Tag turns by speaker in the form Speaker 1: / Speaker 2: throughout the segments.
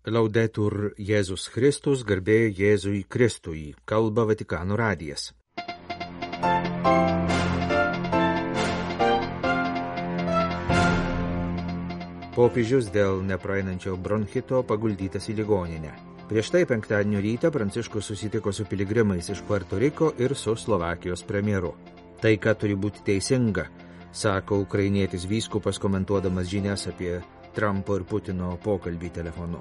Speaker 1: Laudetur Jėzus Kristus, garbė Jėzui Kristui, kalba Vatikano radijas. Popiežius dėl nepraeinančio bronchito paguldytas į ligoninę. Prieš tai penktadienio rytą Pranciškus susitiko su piligrimais iš Puerto Riko ir su Slovakijos premjeru. Taika turi būti teisinga, sako ukrainietis vyskupas komentuodamas žinias apie Trumpo ir Putino pokalbį telefonu.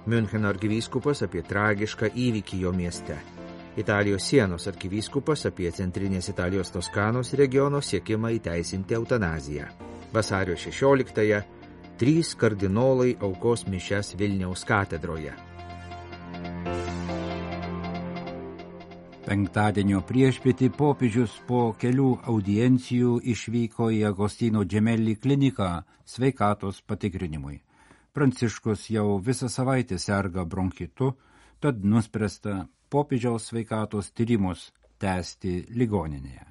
Speaker 1: Miuncheno arkivyskupas apie tragišką įvykį jo mieste. Italijos sienos arkivyskupas apie centrinės Italijos Toskanos regiono siekimą įteisinti eutanaziją. Vasario 16-ąją 3 kardinolai aukos mišias Vilniaus katedroje.
Speaker 2: Penktadienio priešpietį popiežius po kelių audiencijų išvyko į Agostino Gemelli kliniką sveikatos patikrinimui. Pranciškus jau visą savaitę serga bronchitu, tad nuspręsta popiežiaus sveikatos tyrimus tęsti ligoninėje.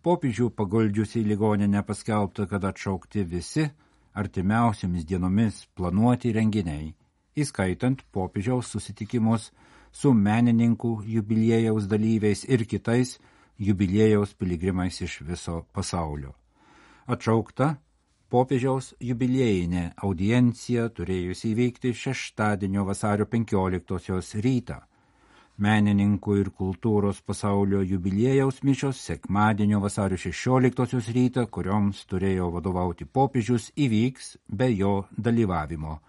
Speaker 2: Popiežių paguldžius į ligoninę paskelbta, kad atšaukti visi artimiausiamis dienomis planuoti renginiai, įskaitant popiežiaus susitikimus su menininkų jubiliejaus dalyviais ir kitais jubiliejaus piligrimais iš viso pasaulio. Atšaukta popiežiaus jubiliejinė audiencija turėjusi įveikti šeštadienio vasario 15-osios rytą. Menininkų ir kultūros pasaulio jubiliejaus mišios sekmadienio vasario 16-osios rytą, kurioms turėjo vadovauti popiežius, įvyks be jo dalyvavimo.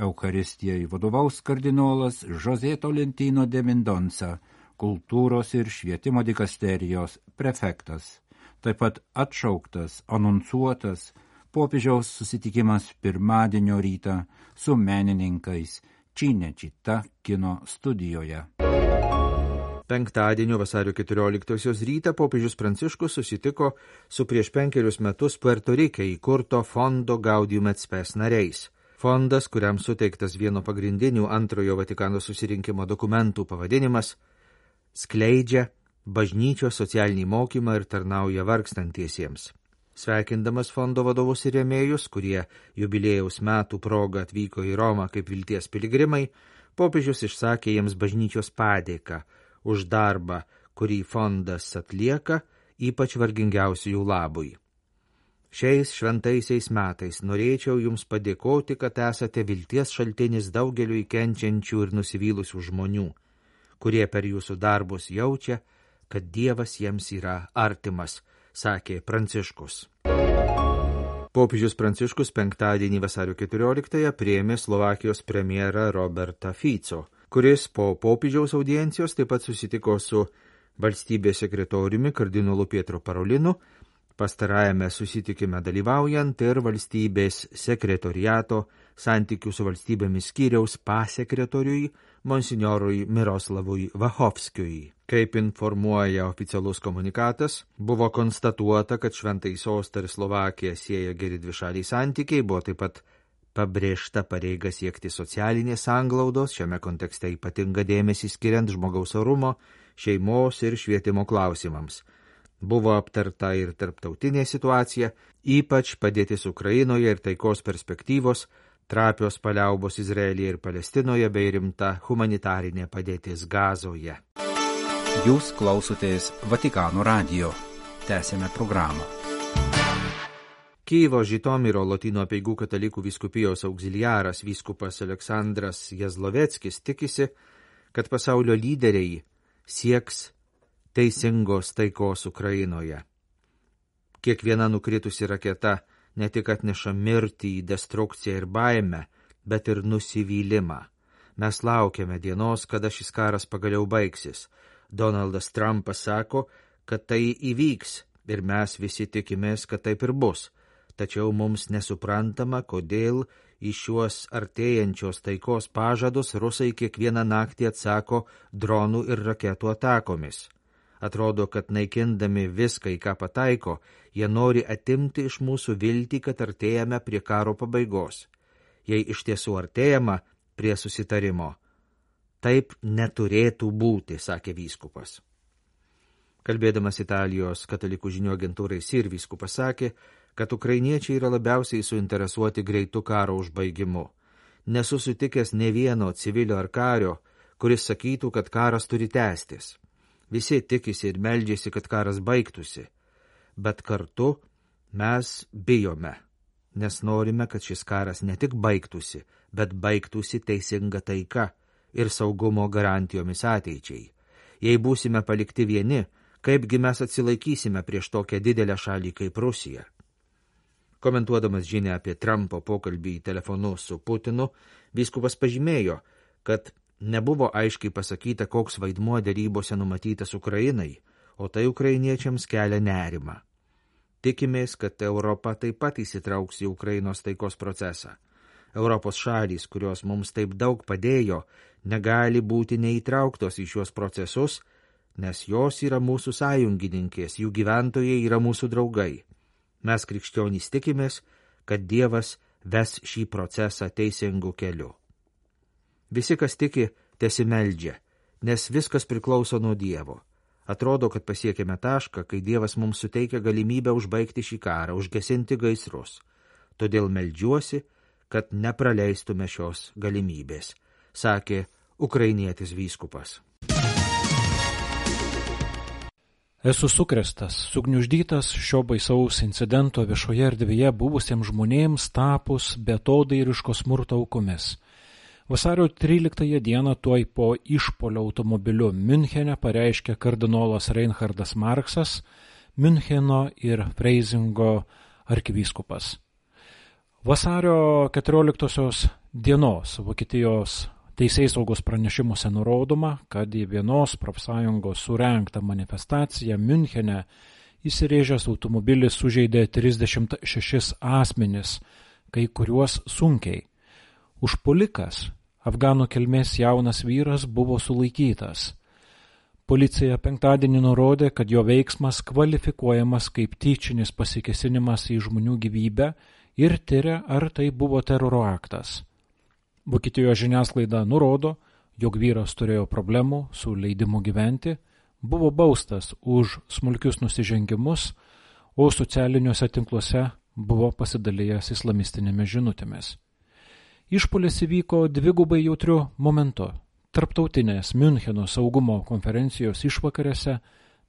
Speaker 2: Eucharistijai vadovaus kardinolas José Tolentino de Mendonça, kultūros ir švietimo dikasterijos prefektas. Taip pat atšauktas, anonsuotas popiežiaus susitikimas pirmadienio rytą su menininkais Cinecittà kino studijoje.
Speaker 1: Penktadienio vasario 14-osios rytą popiežius Pranciškus susitiko su prieš 5 metus Puerto Rike įkurto fondo Gaudium et Spes nariais. Fondas, kuriam suteiktas vieno pagrindinių antrojo Vatikano susirinkimo dokumentų pavadinimas, skleidžia bažnyčios socialinį mokymą ir tarnauja vargstantiesiems. Sveikindamas fondo vadovus ir rėmėjus, kurie jubiliejaus metų proga atvyko į Romą kaip vilties piligrimai, popiežius išsakė jiems bažnyčios padėką už darbą, kurį fondas atlieka, ypač vargingiausiųjų labui. Šiais šventaisiais metais norėčiau jums padėkoti, kad esate vilties šaltinis daugeliui kenčiančių ir nusivylusių žmonių, kurie per jūsų darbus jaučia, kad Dievas jiems yra artimas, sakė Pranciškus. Popiežius Pranciškus penktadienį vasario 14-ąją priėmė Slovakijos premjerą Robertą Fico, kuris po popiežiaus audiencijos taip pat susitiko su valstybės sekretoriumi kardinolu Pietro Parolinu, pastarajame susitikime dalyvaujant ir valstybės sekretoriato santykių su valstybėmis skyriaus pasekretoriui monsinjorui Miroslavui Vachovskiui. Kaip informuoja oficialus komunikatas, buvo konstatuota, kad šventai sostą ir Slovakiją sieja geri dvišaliai santykiai, buvo taip pat pabrėžta pareiga siekti socialinės sanglaudos, šiame kontekste ypatinga dėmesį skiriant žmogaus orumo, šeimos ir švietimo klausimams. Buvo aptarta ir tarptautinė situacija, ypač padėtis Ukrainoje ir taikos perspektyvos, trapios paliaubos Izraelyje ir Palestinoje bei rimta humanitarinė padėtis Gazoje.
Speaker 2: Jūs klausotės Vatikano radijo. Tęsėme programą.
Speaker 1: Kyjivo Žitomiro Lotynų apeigų katalikų vyskupijos auxiliaras vyskupas Aleksandras Jazloveckis tikisi, kad pasaulio lyderiai sieks teisingos taikos Ukrainoje. Kiekviena nukritusi raketa ne tik atneša mirtį, destrukciją ir baimę, bet ir nusivylimą. Mes laukiame dienos, kada šis karas pagaliau baigsis. Donaldas Trumpas sako, kad tai įvyks ir mes visi tikimės, kad taip ir bus. Tačiau mums nesuprantama, kodėl į šiuos artėjančios taikos pažadus rusai kiekvieną naktį atsako dronų ir raketų atakomis. Atrodo, kad naikindami viską, į ką pataiko, jie nori atimti iš mūsų viltį, kad artėjame prie karo pabaigos. Jei iš tiesų artėjama prie susitarimo, taip neturėtų būti, sakė vyskupas. Kalbėdamas Italijos katalikų žinių agentūrai SIR, vyskupas sakė, kad ukrainiečiai yra labiausiai suinteresuoti greitu karo užbaigimu. nesu sutikęs ne vieno civilio ar kario, kuris sakytų, kad karas turi tęstis. Visi tikisi ir meldžiasi, kad karas baigtųsi, bet kartu mes bijome, nes norime, kad šis karas ne tik baigtųsi, bet baigtųsi teisinga taika ir saugumo garantijomis ateičiai. Jei būsime palikti vieni, kaipgi mes atsilaikysime prieš tokią didelę šalį kaip Rusija? Komentuodamas žinią apie Trumpo pokalbį telefonu su Putinu, vyskupas pažymėjo, kad nebuvo aiškiai pasakyta, koks vaidmuo derybose numatytas Ukrainai, o tai ukrainiečiams kelia nerimą. Tikimės, kad Europa taip pat įsitrauks į Ukrainos taikos procesą. Europos šalys, kurios mums taip daug padėjo, negali būti neįtrauktos į šios procesus, nes jos yra mūsų sąjungininkės, jų gyventojai yra mūsų draugai. Mes krikščionys tikimės, kad Dievas ves šį procesą teisingu keliu. Visi, kas tiki, tesimeldžia, nes viskas priklauso nuo Dievo. Atrodo, kad pasiekėme tašką, kai Dievas mums suteikia galimybę užbaigti šį karą, užgesinti gaisrus. Todėl meldžiuosi, kad nepraleistume šios galimybės, sakė ukrainietis vyskupas.
Speaker 3: Esu sukrėstas, sugniuždytas šio baisaus incidento viešoje erdvėje buvusiems žmonėms tapus beatodairiško smurto aukomis. Vasario 13 dieną tuoj po išpuolio automobiliu Miunchene pareiškė kardinolas Reinhardas Marksas, Miuncheno ir Freizingo arkivyskupas. Vasario 14 dienos Vokietijos teisėsaugos pranešimuose nurodoma, kad į vienos profsąjungos surengtą manifestaciją Miunchene įsirėžęs automobilis sužeidė 36 asmenis, kai kuriuos sunkiai. Užpuolikas, afganų kilmės jaunas vyras, buvo sulaikytas. Policija penktadienį nurodė, kad jo veiksmas kvalifikuojamas kaip tyčinis pasikėsinimas į žmonių gyvybę ir tiria, ar tai buvo teroro aktas. Vokietijos žiniasklaida nurodo, jog vyras turėjo problemų su leidimu gyventi, buvo baustas už smulkius nusižengimus, o socialiniuose tinkluose buvo pasidalijęs islamistinėmis žinutėmis. Išpuolis įvyko dvigubai jautriu momentu – tarptautinės Miuncheno saugumo konferencijos išvakarėse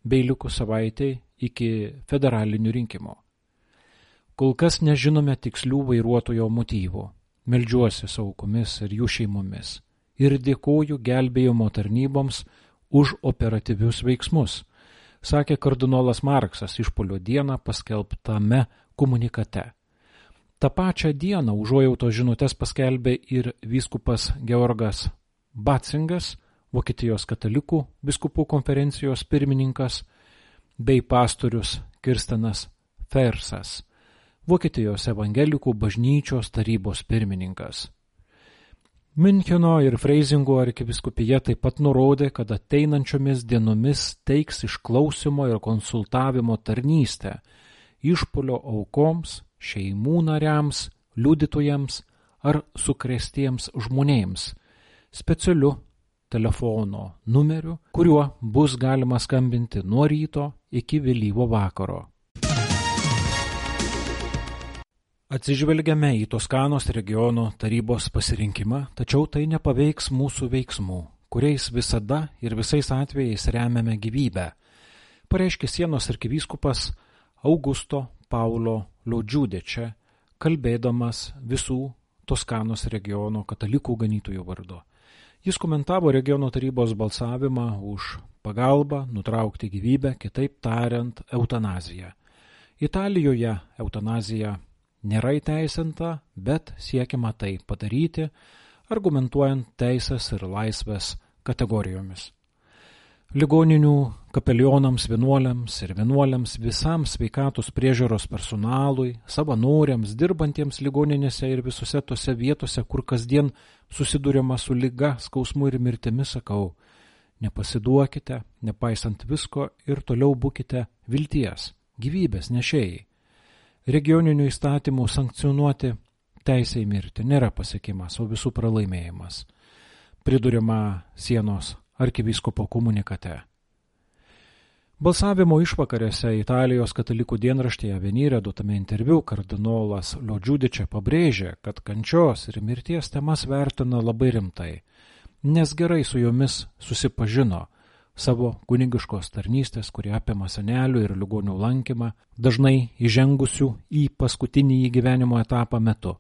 Speaker 3: bei likus savaitei iki federalinių rinkimų. Kol kas nežinome tikslių vairuotojo motyvų. Meldžiuosi su aukomis ir jų šeimomis ir dėkoju gelbėjimo tarnyboms už operatyvius veiksmus, sakė kardinolas Marksas išpuolio dieną paskelbtame komunikate. Ta pačią dieną užuojautos žinutes paskelbė ir vyskupas Georgas Batzingas, Vokietijos katalikų vyskupų konferencijos pirmininkas, bei pastorius Kirstenas Fersas, Vokietijos evangelikų bažnyčios tarybos pirmininkas. Miuncheno ir Freizingo arkivyskupija taip pat nurodė, kad ateinančiomis dienomis teiks išklausimo ir konsultavimo tarnystę išpuolio aukoms, šeimų nariams, liudytojams ar sukrėstiems žmonėms, specialiu telefono numeriu, kuriuo bus galima skambinti nuo ryto iki vėlyvo vakaro. Atsižvelgiame į Toskanos regiono tarybos pasirinkimą, tačiau tai nepaveiks mūsų veiksmų, kuriais visada ir visais atvejais remiame gyvybę, pareiškė Sienos arkivyskupas Augusto Paulo Lodžiudečia, kalbėdamas visų Toskanos regiono katalikų ganytojų vardu. Jis komentavo regiono tarybos balsavimą už pagalbą nutraukti gyvybę, kitaip tariant, eutanaziją. Italijoje eutanazija nėra įteisinta, bet siekiama tai padaryti, argumentuojant teisės ir laisvės kategorijomis. Ligoninių kapelionams, vienuoliams ir vienuoliams, visam sveikatos priežiūros personalui, savanoriams, dirbantiems ligoninėse ir visose tose vietose, kur kasdien susiduriama su liga, skausmu ir mirtimi, sakau, nepasiduokite, nepaisant visko ir toliau būkite vilties, gyvybės nešėjai. Regioninių įstatymų sankcionuoti teisę į mirtį nėra pasiekimas, o visų pralaimėjimas, priduriama Sienos arkivyskupo komunikate. Balsavimo išvakarėse Italijos katalikų dienraštyje Avvenire duotame interviu kardinolas Lodžiudiče pabrėžė, kad kančios ir mirties temas vertina labai rimtai, nes gerai su jomis susipažino savo kunigiškos tarnystės, kurie apima senelių ir ligonių lankymą, dažnai įžengusių į paskutinį gyvenimo etapą metu.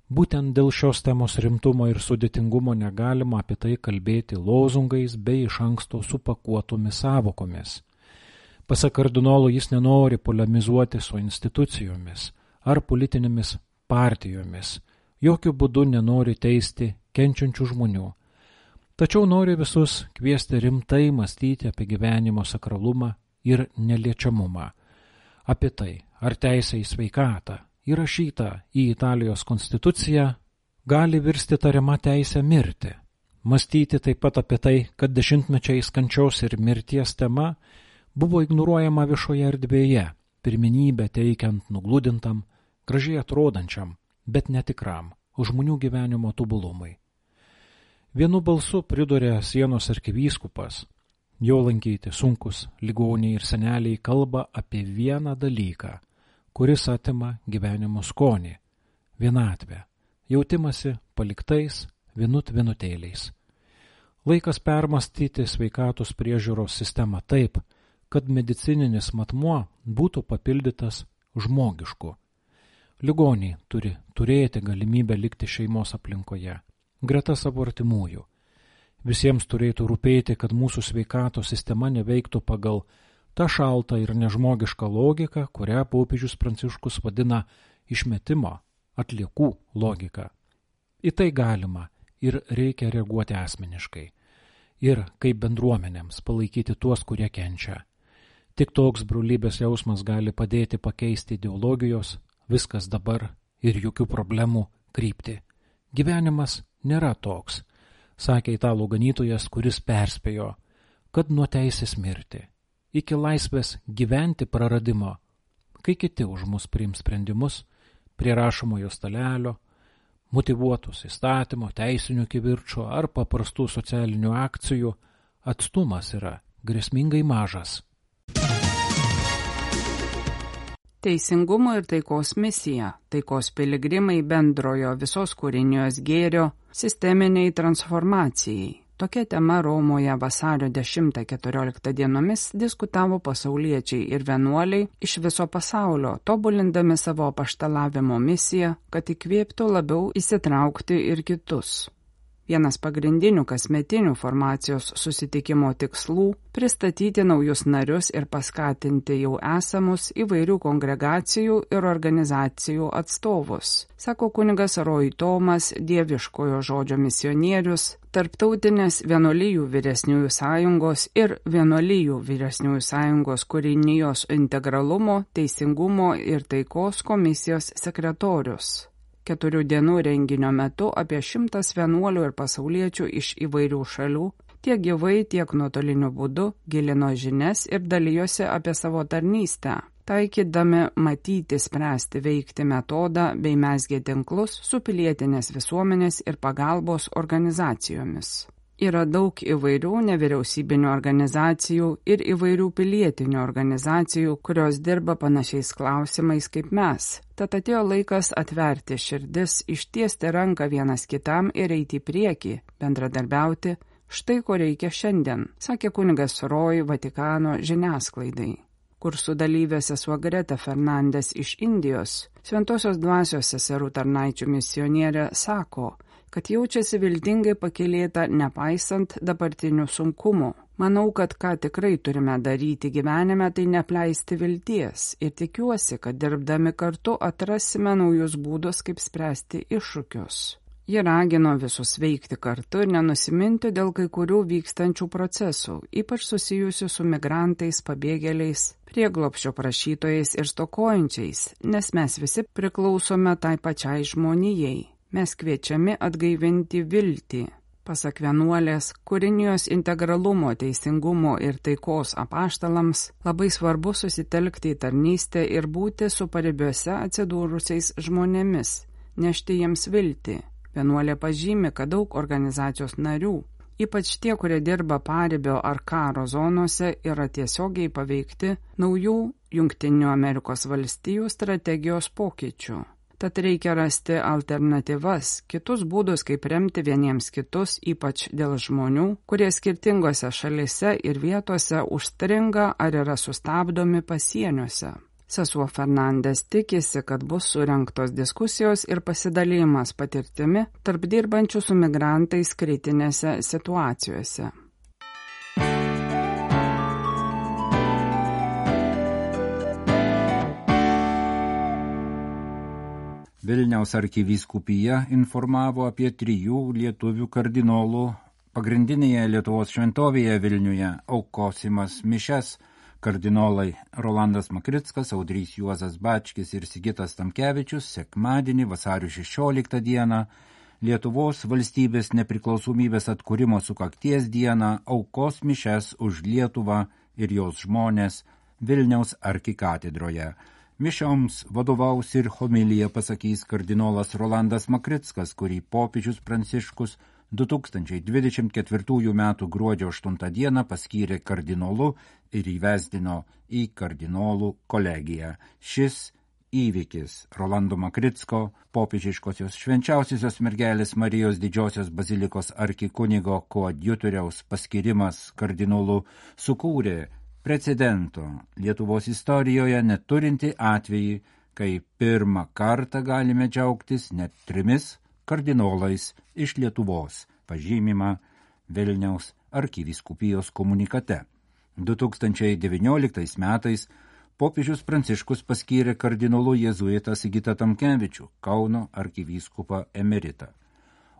Speaker 3: Būtent dėl šios temos rimtumo ir sudėtingumo negalima apie tai kalbėti lozungais bei iš anksto supakuotomis sąvokomis. Pasak kardinolo, jis nenori polemizuoti su institucijomis ar politinėmis partijomis, jokių būdų nenori teisti kenčiančių žmonių. Tačiau nori visus kviesti rimtai mąstyti apie gyvenimo sakralumą ir neliečiamumą, apie tai, ar teisė į sveikatą, įrašyta į Italijos konstituciją, gali virsti tariama teisė mirti. Mąstyti taip pat apie tai, kad dešimtmečiais kančios ir mirties tema buvo ignoruojama viešoje erdvėje, pirmenybę teikiant nugludintam, gražiai atrodančiam, bet netikram, žmonių gyvenimo tobulumui. Vienu balsu pridūrė Sienos arkivyskupas, jo lankyti sunkus ligoniai ir seneliai kalba apie vieną dalyką, kuris atima gyvenimo skonį, vienatvę, jautimasi paliktais vienutėliais. Laikas permastyti sveikatos priežiūros sistemą taip, kad medicininis matmuo būtų papildytas žmogišku. Ligoniai turi turėti galimybę likti šeimos aplinkoje, greta savo artimųjų. Visiems turėtų rūpėti, kad mūsų sveikatos sistema neveiktų pagal tą šaltą ir nežmogišką logiką, kurią popiežius Pranciškus vadina išmetimo, atliekų logika. Į tai galima ir reikia reaguoti asmeniškai. Ir kaip bendruomenėms palaikyti tuos, kurie kenčia. Tik toks brolybės jausmas gali padėti pakeisti ideologijos, viskas dabar ir jokių problemų kryptį. Gyvenimas nėra toks, sakė italų ganytojas, kuris perspėjo, kad nuo teisės mirti, iki laisvės gyventi praradimo, kai kiti už mus priims sprendimus, prie rašomojo stalelio, motyvuotus įstatymo, teisinių kivirčų ar paprastų socialinių akcijų, atstumas yra grėsmingai mažas.
Speaker 4: Teisingumo ir taikos misija, taikos piligrimai bendrojo visos kūrinijos gėrio sisteminiai transformacijai. Tokia tema Romoje vasario 10-14 dienomis diskutavo pasauliečiai ir vienuoliai iš viso pasaulio, tobulindami savo apaštalavimo misiją, kad įkvėptų labiau įsitraukti ir kitus. Vienas pagrindinių kasmetinių formacijos susitikimo tikslų – pristatyti naujus narius ir paskatinti jau esamus įvairių kongregacijų ir organizacijų atstovus, sako kunigas Roy Tomas, dieviškojo žodžio misionierius, Tarptautinės vienuolijų vyresniųjų sąjungos ir vienuolijų vyresniųjų sąjungos kūrinijos integralumo, teisingumo ir taikos komisijos sekretorius. 4 dienų renginio metu apie 100 vienuolių ir pasauliečių iš įvairių šalių, tiek gyvai, tiek nuotoliniu būdu, gilino žinias ir dalijosi apie savo tarnystę, taikydami matyti, spręsti, veikti metodą bei mezgė tinklus su pilietinės visuomenės ir pagalbos organizacijomis. Yra daug įvairių nevyriausybinių organizacijų ir įvairių pilietinių organizacijų, kurios dirba panašiais klausimais kaip mes. Tad atėjo laikas atverti širdis, ištiesti ranką vienas kitam ir eiti į priekį, bendradarbiauti, štai ko reikia šiandien, sakė kunigas Roy Vatikano žiniasklaidai. Kursų dalyvė sesuo Greta Fernandes iš Indijos, Šventosios dvasios seserų tarnaičių misionierė, sako, kad jaučiasi viltingai pakylėta nepaisant dabartinių sunkumų. Manau, kad ką tikrai turime daryti gyvenime, tai neapleisti vilties ir tikiuosi, kad dirbdami kartu atrasime naujus būdus, kaip spręsti iššūkius. Ji ragino visus veikti kartu ir nenusiminti dėl kai kurių vykstančių procesų, ypač susijusių su migrantais, pabėgėliais, prieglobsčio prašytojais ir stokojančiais, nes mes visi priklausome tai pačiai žmonijai. Mes kviečiami atgaivinti viltį. Pasak vienuolės, kūrinijos integralumo, teisingumo ir taikos apaštalams labai svarbu susitelkti į tarnystę ir būti su paribiuose atsidūrusiais žmonėmis, nešti jiems viltį. Vienuolė pažymi, kad daug organizacijos narių Ypač tie, kurie dirba paribio ar karo zonose, yra tiesiogiai paveikti naujų Jungtinių Amerikos valstijų strategijos pokyčių. Tad reikia rasti alternatyvas, kitus būdus, kaip remti vieniems kitus, ypač dėl žmonių, kurie skirtingose šalise ir vietose užstringa ar yra sustabdomi pasieniuose. Sesuo Fernandes tikisi, kad bus surengtos diskusijos ir pasidalymas patirtimi tarp dirbančių su migrantais kritinėse situacijose.
Speaker 2: Vilniaus arkivyskupija informavo apie 3 lietuvių kardinolų pagrindinėje Lietuvos šventovėje Vilniuje aukosimas mišias. Kardinolai Rolandas Makrickas, Audrys Juozas Bačkis ir Sigitas Tamkevičius sekmadienį vasario 16 dieną Lietuvos valstybės nepriklausomybės atkūrimo sukakties dieną aukos mišias už Lietuvą ir jos žmonės Vilniaus arkikatedroje. Mišioms vadovaus ir homiliją pasakys kardinolas Rolandas Makrickas, kurį popiežius Pranciškus 2024 m. gruodžio 8 dieną paskyrė kardinolu ir įvesdino į kardinolų kolegiją. Šis įvykis Rolando Makricko, popiežiškosios švenčiausiosios mergelės Marijos didžiosios bazilikos arkikunigo koadjutoriaus paskirimas kardinolu sukūrė precedento Lietuvos istorijoje neturinti atvejį, kai pirmą kartą galime džiaugtis net 3 kardinolais iš Lietuvos, pažymima Vilniaus arkivyskupijos komunikate. 2019 metais popiežius Pranciškus paskyrė kardinolu jėzuitą Sigitą Tamkevičių, Kauno arkivyskupą emeritą.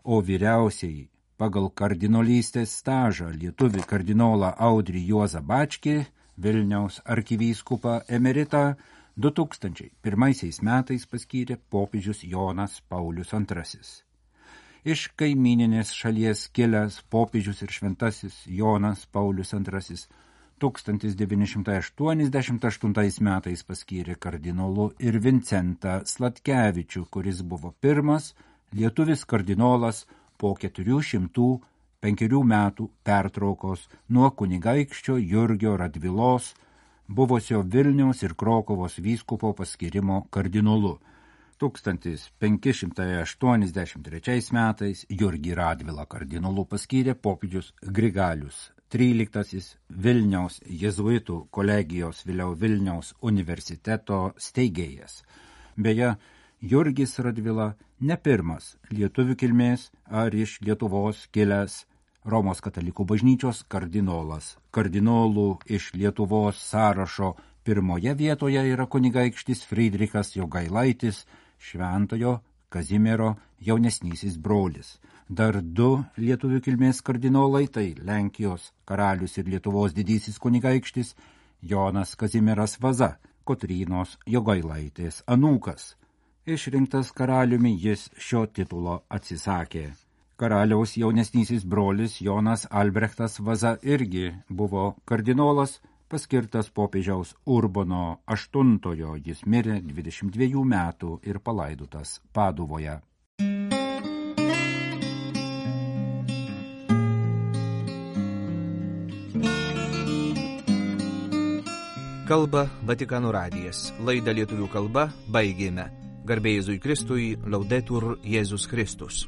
Speaker 2: O vyriausiai pagal kardinolystės stažą lietuvį kardinolą Audrį Juozą Bačkį, Vilniaus arkivyskupą emeritą, 2001 metais paskyrė popiežius Jonas Paulius II. Iš kaimyninės šalies kilęs popiežius ir šventasis Jonas Paulius II 1988 metais paskyrė kardinolu ir Vincentą Sladkevičių, kuris buvo pirmas lietuvis kardinolas po 405 metų pertraukos nuo kunigaikščio Jurgio Radvilos, buvusio Vilniaus ir Krokuvos vyskupo paskyrimo kardinolu. 1583 metais Jurgį Radvilą kardinolu paskyrė popiežius Grigalius XIII Vilniaus jėzuitų kolegijos vėliau Vilniaus universiteto steigėjas. Beje, Jurgis Radvila ne pirmas lietuvių kilmės ar iš Lietuvos kilęs Romos katalikų bažnyčios kardinolas. Kardinolų iš Lietuvos sąrašo pirmoje vietoje yra kunigaikštis Friedrichas Jogailaitis, Šventojo Kazimiero jaunesnysis brolis. Dar 2 lietuvių kilmės kardinolai, tai Lenkijos karalius ir Lietuvos didysis kunigaikštis Jonas Kazimieras Vaza, Kotrynos Jogailaitės anūkas. Išrinktas karaliumi jis šio titulo atsisakė. Karaliaus jaunesnysis brolis Jonas Albrechtas Vaza irgi buvo kardinolas, paskirtas popiežiaus Urbono VIII, jis mirė 22 metų ir palaidotas Paduvoje.
Speaker 1: Kalba Vatikano radijas. Laidą lietuvių kalba baigėme. Garbė Jėzui Kristui, Laudetur Jėzus Kristus.